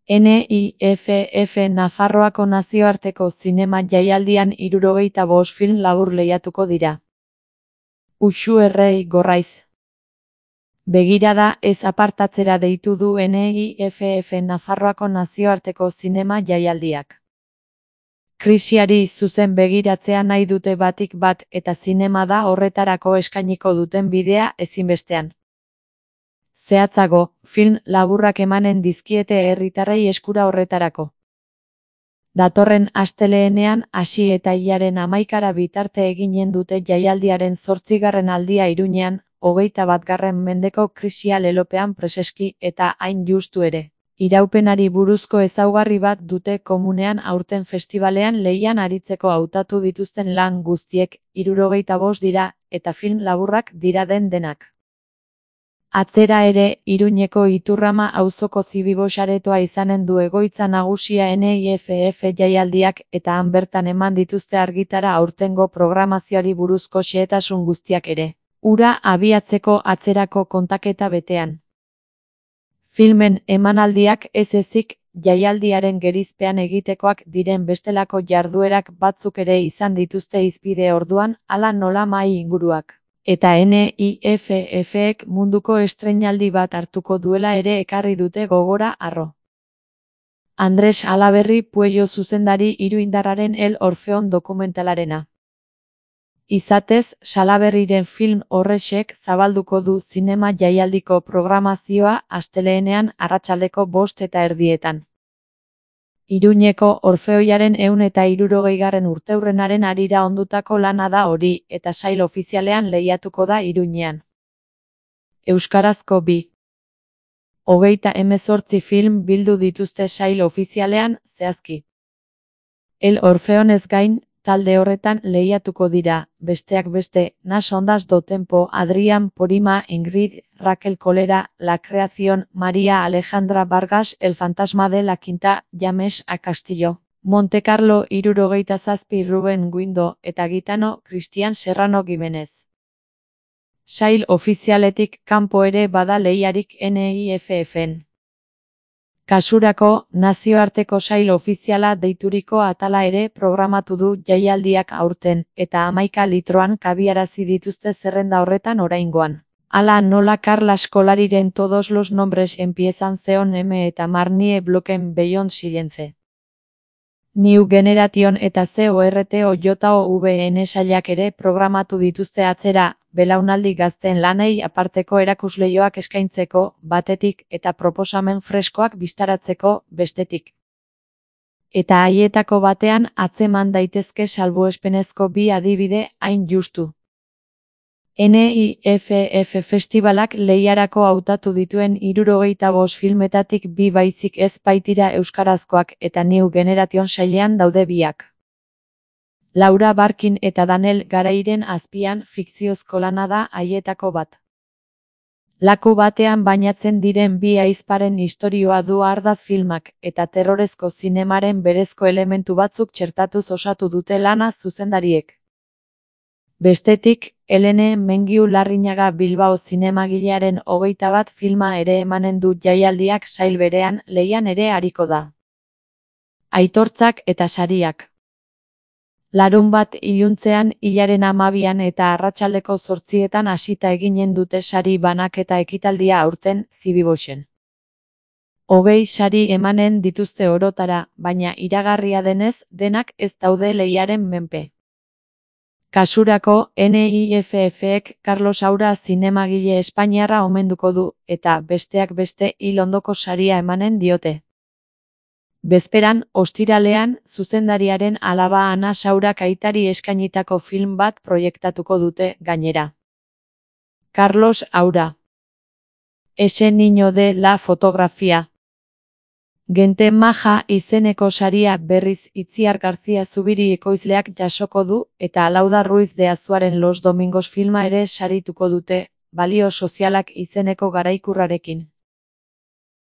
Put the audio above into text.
NIFF Nafarroako nazioarteko zinema jaialdian 75 film labur lehiatuko dira. Uxu Errei Gorraiz. Begirada ez apartatzera deitu du NIFF Nafarroako nazioarteko zinema jaialdiak. Krisiari zuzen begiratzea nahi dute batik bat eta zinema da horretarako eskainiko duten bidea ezinbestean. Zehatzago, film laburrak emanen dizkiete herritarrei eskura horretarako. Datorren asteleenean hasi eta hilaren 11 bitarte eginen dute jaialdiaren 8. aldia Iruñean, 21. mendeko krisia lelopean preseski eta hain justu ere. Iraupenari buruzko ezaugarri bat dute komunean aurten festivalean lehian aritzeko hautatu dituzten lan guztiek 75 dira eta film laburrak dira denak. Atzera ere, Iruñeko Iturrama auzoko Zibibo saretoa izanen du egoitza nagusia NIFF jaialdiak eta han bertan eman dituzte argitara aurtengo programazioari buruzko xehetasun guztiak ere. Hura abiatzeko atzerako kontaketa betean. Filmen emanaldiak ez ezik, jaialdiaren gerizpean egitekoak diren bestelako jarduerak batzuk ere izan dituzte hizpide orduan, hala nola mahai inguruak. Eta NIFF-ek munduko estreinaldi bat hartuko duela ere ekarri dute gogora harro. Andres Alaberri Puello zuzendari iruindarraren El Orfeon dokumentalarena. Izatez, Salaberriren film horrexek zabalduko du zinema jaialdiko programazioa asteleenean arratsaldeko 5:30. Iruñeko Orfeoiaren 160. urteurrenaren harira ondutako lana da hori eta sail ofizialean lehiatuko da Iruñean. Euskarazko 28 film bildu dituzte sail ofizialean, zehazki. El Orfeonez gain, talde horretan lehiatuko dira, besteak beste, Nas Ondas do Tempo, Adrián Porima, Ingrid, Raquel Colera, La Creación, María Alejandra Vargas, El Fantasma de la Quinta, James A. Castillo, Monte Carlo 77, Ruben Guindo, eta Gitano, Cristian Serrano Gimenez. Sail ofizialetik kanpo ere bada lehiarik NIFF-en. Kasurako, nazioarteko sail ofiziala deituriko atala ere programatu du jaialdiak aurten, eta 11 litroan kabiarazi dituzte zerrenda horretan oraingoan. Hala nola Carlas Colariren Todos los nombres empiezan zeon M eta Marnie Bloken Beyond Silence. New Generation eta CORTOJOVN sailak ere programatu dituzte atzera, belaunaldi gazteen lanei aparteko erakusleioak eskaintzeko, batetik, eta proposamen freskoak bistaratzeko, bestetik. Eta haietako batean atzeman daitezke salbuespenezko 2 adibide hain justu. NIFF festivalak lehiarako hautatu dituen 75 filmetatik 2 baizik ez baitira euskarazkoak eta New Generation sailean daude biak. Laura Barkin eta Daniel Garairen azpian fikziozko lana da haietako bat. Laku batean bainatzen diren 2 ahizparen istorioa du ardaz filmak eta terrorezko zinemaren berezko elementu batzuk txertatuz osatu dute lana zuzendariek. Bestetik, Helene Mengiu Larrinaga Bilbao zinemagilearen 21 filma ere emanen du jaialdiak sail berean lehian ere ariko da. Aitortzak eta sariak. Larunbat iluntzean hilaren 12an eta arratsaldeko 8etan hasita eginen dute sari banaketa ekitaldia aurten Zibiboxen. 20 sari emanen dituzte orotara, baina iragarria denez denak ez daude lehiaren menpe. Kasurako, NIFF-ek Carlos Saura zinemagile espainiarra omenduko du, eta besteak beste hil ondoko saria emanen diote. Bezperan, ostiralean, zuzendariaren alaba Ana Saurak aitari eskainitako film bat proiektatuko dute gainera. Carlos Saura. Ese niño de la fotografía. Gente maja izeneko saria berriz Itziar García Zubiri ekoizleak jasoko du, eta Lauda Ruiz de Azuaren Los Domingos filma ere sarituko dute, balio sozialak izeneko garaikurrarekin.